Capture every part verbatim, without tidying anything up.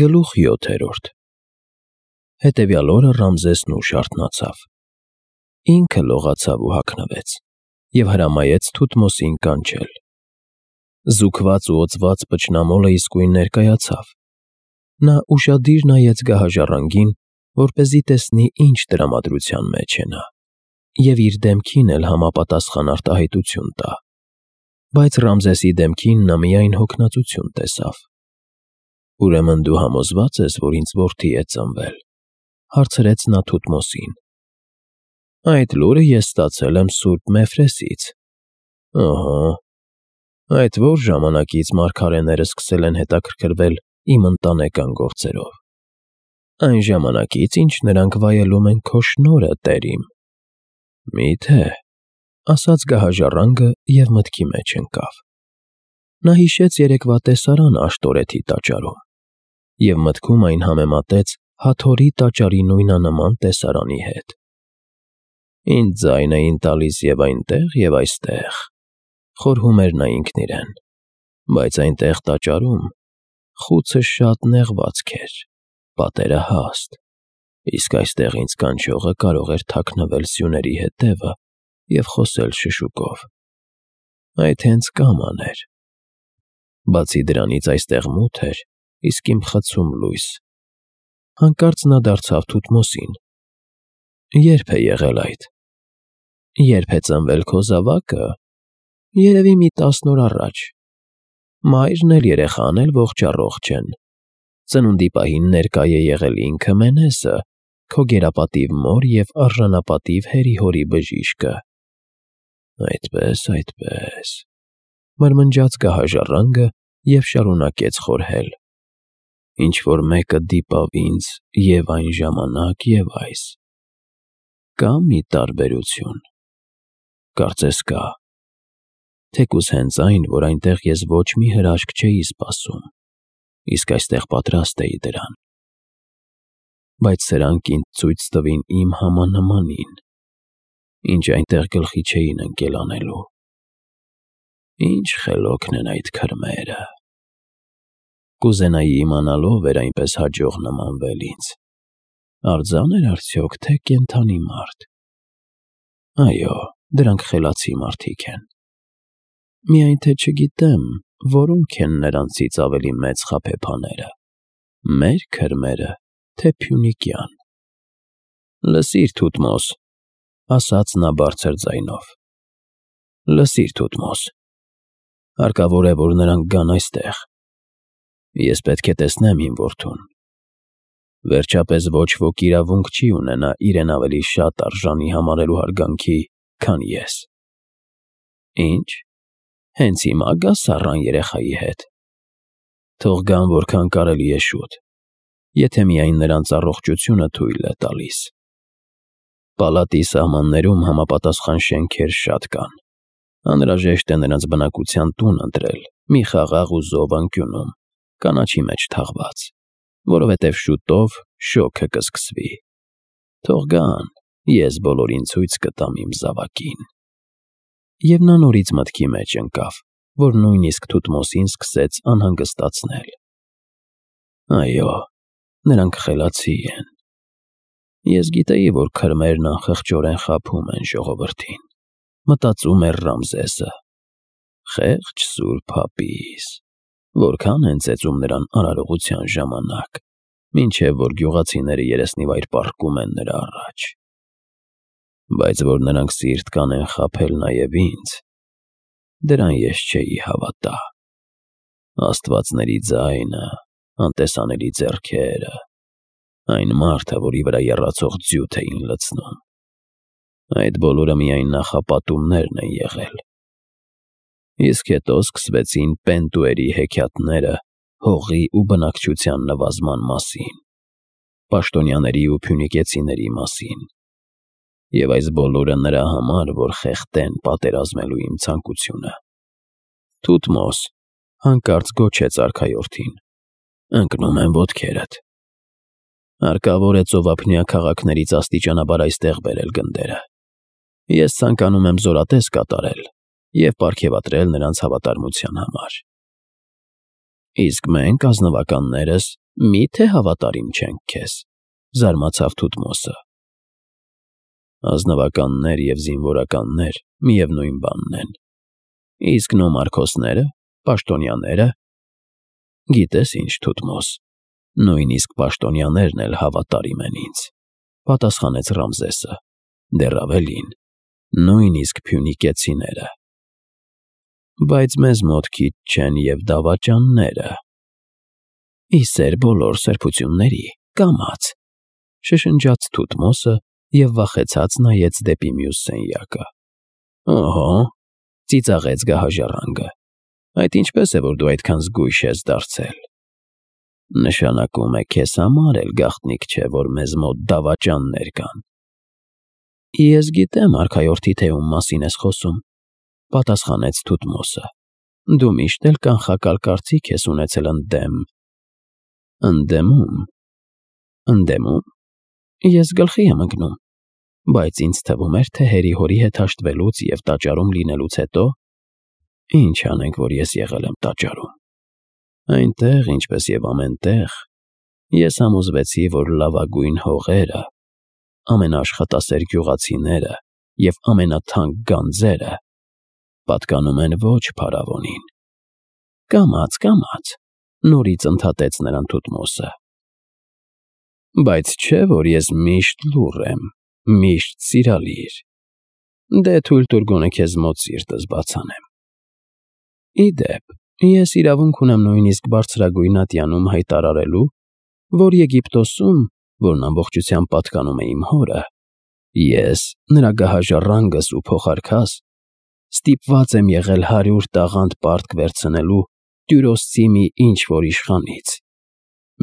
Գլուխ յոթերորդ Հետևյալ օրը Ռամզեսն ուշ արթնացավ։ Ինքը լողացավ ու հագնվեց և հրամայեց Թութմոսին կանչել։ Զուգված ու օծված փչնամոլը իսկույն ներկայացավ։ Նա ուշադիր նայեց գահաժառանգին, որպեսզի տեսնի, ինչ տրամադրության մեջ է նա, և իր դեմքին էլ համապատասխան արտահայտություն տա։ Բայց Ռամզեսի դեմքին նա միայն հոգնածություն տեսավ։ «Ուրեմն դու համոզվա՞ծ ես, որ ինձ որդի է ծնվել,֊ հարցրեց նա Թութմոսին։ «Այդ լուրը ես ստացել եմ սուրբ Մեֆրեսից»։ «Ըհը, այդ ո՞ր ժամանակից մարգարեները սկսել են հետաքրքրվել իմ ընտանեկան գործերով»։ «Այն ժամանակից, ինչ նրանք վայելում են քո շնորհը, տեր իմ»։ «Մի՞թե,֊ ասաց գահաժառանգը և մտքի մեջ ընկավ։ Նա հիշեց երեկվա տեսարանը Աշտորեթի տաճարում և մտքում այն համեմատեց Հաթորի տաճարի նույնանման տեսարանի հետ։ «Ինձ ձայն էին տալիս և այնտեղ, և այստեղ,֊ խորհում էր նա ինքն իրեն,֊ բայց այնտեղ տաճարում խուցը շատ նեղվածք էր, պատերը հաստ, իսկ այստեղ ինձ կանչողը կարող էր թաքնվել սյուների հետևը և խոսել շշուկով։ Այդ հենց կաման էր։ Բացի դրանից այստեղ մութ էր, իսկ իմ խցում լույս»։ Հանկարծ նա դարձավ Թութմոսին. «Ե՞րբ է եղել այդ»։ «Երբ է ծնվել քո զավակը, երևի մի տասն օր առաջ։ Մայրն էլ երեխան էլ ողջ֊առողջ են։ Ծնունդի պահին ներկա է եղել ինքը Մենեսը, քո գերապատիվ մոր և արժանապատիվ հերի֊հորի բժիշկը»։ «Այդպե՜ս, այդպե՜ս,֊ մրմնջաց գահաժառանգը և շարունակեց խորհել։ «Ինչ֊որ մեկը դիպավ ինձ և՛ այն ժամանակ, և՛ այս։ Կա՞ մի տարբերություն։ Կարծես կա։ Թեկուզ հենց այն, որ այնտեղ ես ոչ մի հրաշք չէի սպասում, իսկ այստեղ պատրաստ էի դրան։ Բայց սրանք ինձ ցույց տվին իմ համանմանին, ինչ այնտեղ գլխի չէին ընկել անելու։ Ինչ խելոքն են այդ քրմերը։ Կուզենայի իմանալ ով էր այնպես հաջող նմանվել ինձ, արձա՞ն էր արդյոք, թե կենդանի մարդ։ Այո, դրանք խելացի մարդիկ են։ Միայն թե չգիտեմ, որոնք են նրանցից ավելի մեծ խաբեբաները՝ մեր քրմերը, թե Փյունիկյան»։ «Լսիր, Թութմոս,֊ ասաց նա բարձր ձայնով,֊ լսիր, Թութմոս. հարկավոր է, որ նրանք գան այստեղ։ Ես պետք է տեսնեմ իմ որդուն։ Վերջապես ոչ ոք իրավունք չի ունենա իրեն ավելի շատ արժանի համարելու հարգանքի, քան ես։ Ի՞նչ, հենց հիմա գաս առան երեխայի հետ։ Թող գան որքան կարելի է շուտ, եթե միայն նրանց առողջությունը թույլ է տալիս։ Պալատի սահմաններում համապատասխան շենքեր շատ կան։ Անհրաժեշտ է նրանց բնակության տուն ընտրել, մի խաղաղ ու զով անկյունում, կանաչի մեջ թաղված, որովհետև շուտով շոգը կսկսվի։ Թող գան, ես բոլորին ցույց կտամ իմ զավակին»։ Եվ նա նորից մտքի մեջ ընկավ, որ նույնիսկ Թութմոսին սկսեց անհանգստացնել։ Այո, նրանք խելացի են։ Ես գիտեի, որ քրմերն անխղճորեն խաբում են ժողովրդին, մտածում էր Ռամզեսը։ Խեղճ սուրբ հապիս, որքան են ծեծում նրան արարողության ժամանակ, մինչև որ գյուղացիները երեսնիվայր պառկում են նրա առաջ։ Բայց որ նրանք սիրտ կանեն խաբել նաև ինձ, դրան ես չէի հավատա։ Աստվածների ձայնը, անտեսանելի ձեռքերը, այն մարդը, որի վրա եռացող ձյութ էին լցնում, այդ բոլորը միայն նախապատումներն են եղել։ Իսկ հետո սկսվեցին Պենտուերի հեքիաթները հողի ու բնակչության նվազման մասին, պաշտոնյաների ու փյունիկեցիների մասին։ Եվ այս բոլորը նրա համար, որ խեղդեն պատերազմելու իմ ցանկությունը։ Թութմոս, հանկարծ գոչեց արքայորդին, ընկնում եմ ոտքերդ։ Հարկավոր է ծովափնյա քաղաքներից աստիճանաբար այստեղ բերել գնդերը։ Ես ցանկանում եմ զորատես կատարել և պարգևատրել նրանց հավատարմության համար։ Իսկ մենք, ազնվականներս, Մի՞թե հավատարիմ չենք քեզ, զարմացավ Թութմոսը։ Ազնվականներ և զինվորականներ միևնույն բանն են, իսկ նոմարքոսները, պաշտոնյաները… Գիտես ինչ, Թութմոս, նույնիսկ պաշտոնյաներն էլ հավատարիմ են ինձ, պատասխանեց Ռամզեսը, դեռ ավելին, նույնիսկ փյունիկեցիները։ Բայց մեզ մոտ քիչ չեն և դավաճանները։ Ի սեր բոլոր սրբությունների, կամաց, շշնջաց Թութմոսը և վախեցած նայեց դեպի մյուս սենյակը։ Օհո, ծիծաղեց գահաժառանգը, այդ ինչպես է, որ դու այդքան զգույշ ես դարձել։ Նշանակում է քեզ համար էլ գաղտնիք չէ, որ մեզ մոտ դավաճաններ կան։ Ես գիտեմ արքայորդի, թե ում մասին ես խոսում, պատասխանեց Թութմոսը, դու միշտ էլ կանխակալ կարծիք ես ունեցել ընդդեմ… Ընդդեմո՞ւմ… Ընդդեմո՞ւմ… Ես գլխի եմ ընկնում, բայց ինձ թվում էր, թե հերի֊հորի հետ հաշտվելուց և տաճարում լինելուց հետո… Ինչ անենք, որ ես եղել եմ տաճարում… Այնտեղ, ինչպես և ամեն տեղ, ես համոզվեցի, որ լավագույն հողերը, ամենաաշխատասեր գյուղացիները և ամենաթանկ գանձերը պատկանում են ոչ փարավոնին։ Կամաց, կամաց, նորից ընդհատեց նրան Թութմոսը։ Բայց չէ՞ որ ես միշտ լուռ եմ, միշտ սիրալիր… Դե թույլ տուր գոնե քեզ մոտ սիրտս բացանեմ։ Ի դեպ, ես իրավունք ունեմ նույնիսկ բարձրագույն ատյանում հայտարարելու, որ Եգիպտոսում, որն ամբողջությամբ պատկանում է իմ հորը, ես, նրա գահաժառանգս ու փոխարքաս, ստիպված եմ եղել հարյուր տաղանդ պարտք վերցնելու Տյուրոսցի մի ինչ֊որ իշխանից…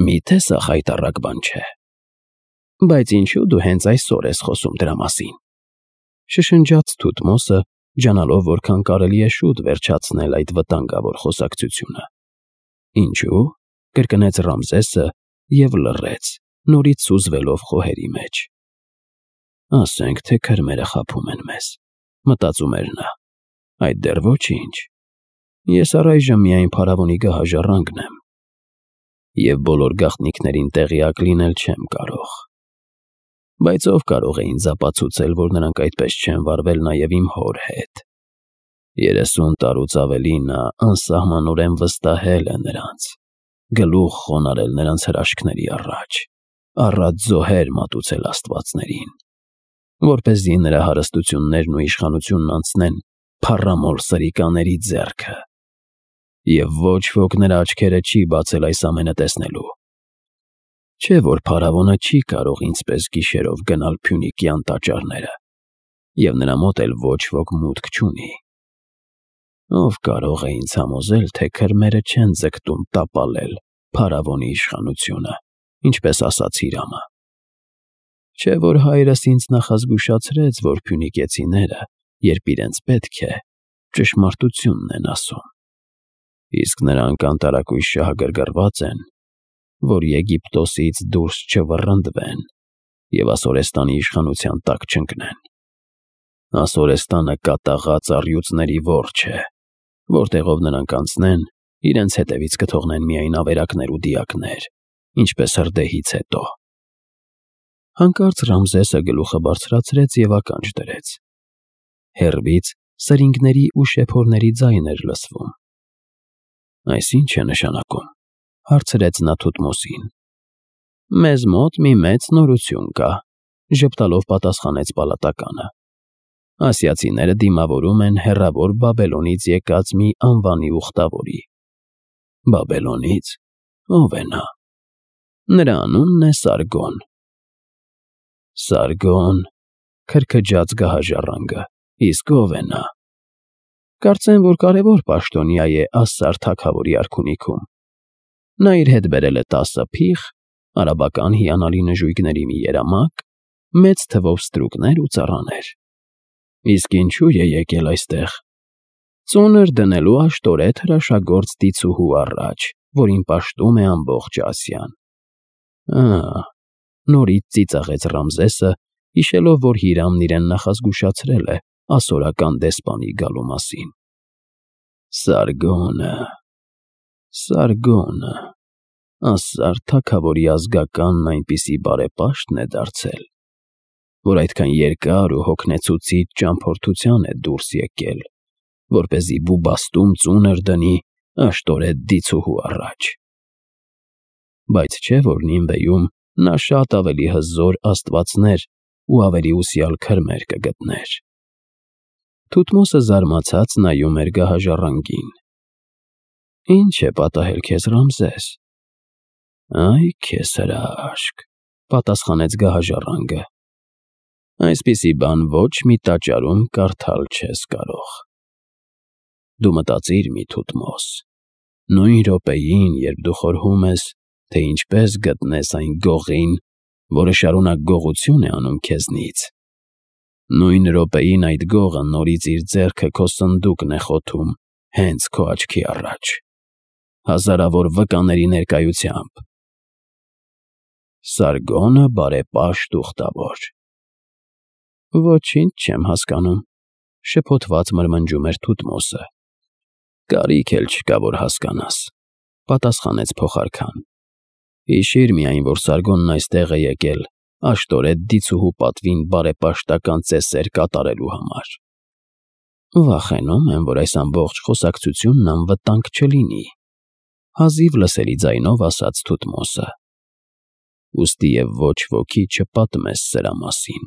Մի՞թե սա խայտառակ բան չէ։ Բայց ինչու դու հենց այսօր ես խոսում դրա մասին, շշնջաց Թութմոսը, ջանալով որքան կարելի է շուտ վերջացնել այդ վտանգավոր խոսակցությունը։ Ինչու՞, կրկնեց Ռամզեսը և լռեց, նորից սուզվելով խոհերի մեջ։ Ասենք թե քրմերը խաբում են մեզ, մտածում էր նա, այդ դեռ ոչինչ… Ես առայժմ միայն փարավոնի գահաժառանգն եմ և բոլոր գաղտնիքներին տեղյակ լինել չեմ կարող։ Բայց ով կարող է ինձ ապացուցել, որ նրանք այդպես չեն վարվել նաև իմ հոր հետ։ Երեսուն տարուց ավելի նա անսահմանորեն վստահել է նրանց, գլուխ խոնարհել նրանց հրաշքների առաջ, առատ զոհեր մատուցել աստվածներին, որպեսզի նրա հարստություններն ու իշխանությունն անցնեն փառամոլ սրիկաների ձեռքը, և ոչ ոք նրա աչքերը չի բացել այս ամենը տեսնելու։ Չէ՞ որ փարավոնը չի կարող ինձպես գիշերով գնալ Փյունիկյան տաճարները, և նրա մոտ էլ ոչ ոք մուտք չունի։ Ով կարող է ինձ համոզել, թե քրմերը չեն ձգտում տապալել փարավոնի իշխանությունը, ինչպես ասաց Հիրամը։ Չէ՞ որ հայրս ինձ նախազգուշացրեց, որ փյունիկեցիները, երբ իրենց պետք է, ճշմարտությունն են ասում, իսկ նրանք անտարակույս շահագրգռված են, որ Եգիպտոսից դուրս չվռնդվեն և Ասորեստանի իշխանության տակ չընկնեն։ Ասորեստանը կատաղած առյուծների որջն է, որտեղով նրանք անցնեն, իրենց հետևից կթողնեն միայն ավերակներ ու դիակներ, ինչպես հրդեհից հետո։ Հանկարծ Ռամզեսը գլուխը բարձրացրեց և ականջ դրեց։ Հեռվից սրինգների ու շեփորների ձայն էր լսվում։ Այս ի՞նչ է նշանակում, հարցրեց նա Թութմոսին։ Մեզ մոտ մի մեծ նորություն կա, ժպտալով պատասխանեց պալատականը։ Ասիացիները դիմավորում են հեռավոր Բաբելոնից եկած մի անվանի ուխտավորի։ Բաբելոնից… Ո՞վ է նա։ Նրա անունն է Սարգոն։ Սարգոն… Քրքջաց գահաժառանգը, իսկ ո՞վ է նա։ Կարծեմ, որ կարևոր պաշտոնյա է Ասսար թագավորի արքունիքում։ Նա իր հետ բերել է տասը փիղ, արաբական հիանալի նժույգների մի երամակ, մեծ թվով ստրուկներ ու ծառաներ։ Իսկ ինչու է եկել այստեղ։ Ծունր դնելու աշտորեթ հրաշագործ դիցուհու առաջ, որին պաշտում է ամբողջ Ասիան։ Ա՜… Նորից ծիծաղեց Ռամզեսը, հիշելով, որ Հիրամն իրեն նախազգուշացրել է ասորական դեսպանի գալու մասին։ Սարգոնը… Սարգոնը… Ասար թագավորի ազգականն այնպիսի բարեպաշտն է դարձել, որ այդքան երկար ու հոգնեցուցիչ ճամփորդության է դուրս եկել, որպեսզի բուբաստում ծունր դնի աշտորետ դիցուհու առաջ։ Բայց չէ՞ որ Նինվեում նա շատ ավելի հզոր աստվածներ ու ավելի ուսյալ քրմեր կգտներ։ Թութմոսը զարմացած նայում էր գահաժառանգին։ Ինչ է պատահել քեզ, Ռամզես։ Այ քեզ հրաշք, պատասխանեց գահաժառանգը։ Այսպիսի բան ոչ մի տաճարում կարդալ չես կարող։ Դու մտածիր մի Թութմոս, նույն րոպեին, երբ դու խորհում ես, թե ինչպես գտնես այն գողին, որը շարունակ գողություն է անում քեզնից, նույն րոպեին այդ գողը նորից իր ձեռքը քո սնդուկն է խոթում հենց քո աչքի առաջ, հազարավոր վկաների ներկայությամբ։ Սարգոնը բարեպաշտ ուխտավոր։ Ոչինչ չեմ հասկանում, շփոթված մրմնջում էր Թութմոսը։ Կարիք էլ չկա, որ հասկանաս, պատասխանեց փոխարքան։ Հիշիր միայն, որ Սարգոնն այստեղ է եկել աշտորետ դիցուհու պատվին բարեպաշտական ծեսեր կատարելու համար։ Վախենում եմ, որ այս ամբողջ խոսակցությունն անվտանգ չլինի, հազիվ լսելի ձայնով ասաց Թութմոսը։ Ուստի և ոչ ոքի չպատմես սրա մասին։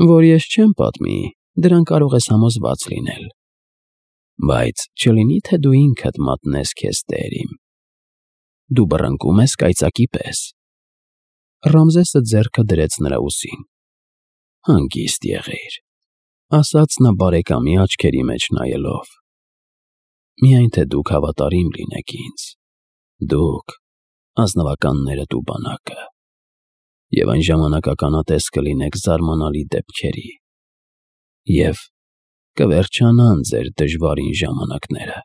Որ ես չեմ պատմի, դրան կարող ես համոզված լինել։ Բայց չլինի, թե դու ինքդ մատնես քեզ տերիմ։ Դու բռնկում ես կայծակի պես։ Ռամզեսը ձեռքը դրեց նրա ուսին։ Հանգիստ եղիր, ասաց նա բարեկամի աչքերի մեջ նայելով։ Միայն թե դուք հավատարիմ լինեք ինձ, դուք, ազնվականներդ ու բանակը, և այն ժամանակ ականատես կլինեք զարմանալի դեպքերի, և կվերջանան ձեր դժվարին ժամանակները։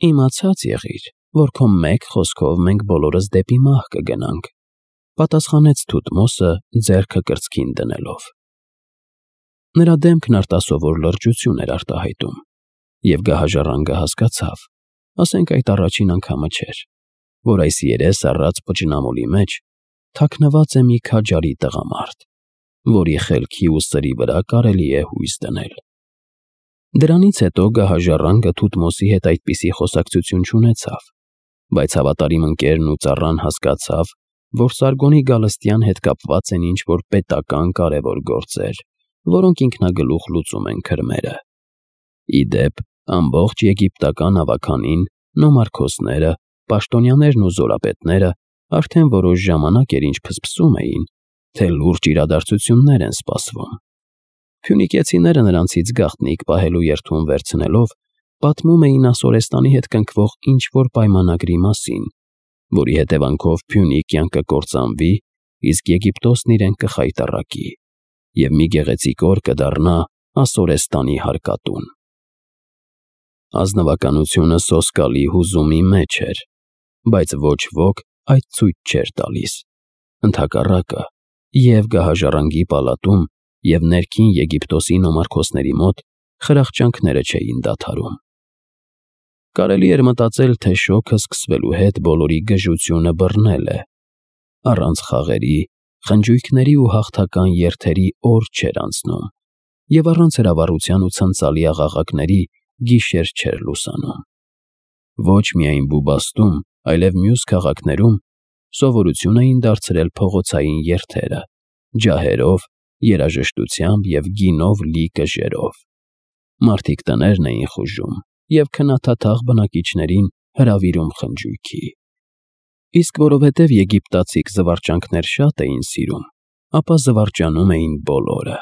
Իմացած եղիր, որ քո մեկ խոսքով մենք բոլորս դեպի մահ կգնանք, պատասխանեց Թութմոսը ձեռքը կրծքին դնելով։ Նրա դեմքն արտասովոր լրջություն էր արտահայտում, և գահաժառանգը հասկացավ, ասենք այդ առաջին անգամը չէր, որ այս երես առած պճնամոլի մեջ թաքնված է մի քաջարի տղամարդ, որի խելքի ու սրի վրա կարելի է հույս դնել։ Դրանից հետո գահաժառանգը Թութմոսի հետ այդպիսի խոսակցություն չունեցավ, բայց հավատարիմ ընկերն ու ծառան հասկացավ, որ Սարգոնի գալստյան հետ կապված են ինչ-որ պետական կարևոր գործեր, որոնք ինքնագլուխ լուծում են քրմերը։ Ի դեպ, ամբողջ եգիպտական ավագանին, նոմարքոսները, պաշտոնյաներն ու զորապետները արդեն որոշ ժամանակ էր ինչ փսփսում էին, թե լուրջ իրադարձություններ են սպասվում։ Փյունիկեցիները նրանցից գաղտնիք պահելու երդում վերցնելով, պատմում էին Ասորեստանի հետ կնքվող ինչ-որ պայմանագրի մասին, որի հետևանքով Փյունիկ կյանքը կկործանվի, իսկ Եգիպտոսն իրեն կխայտառակի, և մի գեղեցիկ օր կդառնա Ասորեստանի հարկատուն։ Ազնվականությունը սոսկալի հուզումի մեջ էր, բայց ոչ ոք այդ ցույց չէր տալիս։ Ընդհակառակը, և գահաժառանգի պալատում, և ներքին Եգիպտոսի նոմարքոսների մոտ խրախճանքները չէին դադարում։ Կարելի էր մտածել, թե շոգը սկսվելու հետ բոլորի գժությունը բռնել է։ Առանց խաղերի, խնջույքների ու հաղթական երթերի օր չէր անցնում, և առանց հրավառության ու ցնծալի աղաղակների գիշեր չէր լուսանում։ Ոչ միայն Բուբաստում, այլև մյուս քաղաքներում սովորություն էին դարձրել փողոցային երթերը՝ ջահերով, երաժշտությամբ և գինով լի կժերով։ Մարդիկ տներն էին խուժում և քնաթաթախ բնակիչներին հրավիրում խնջույքի։ Իսկ որովհետև եգիպտացիք զվարճանքներ շատ էին սիրում, ապա զվարճանում էին բոլորը։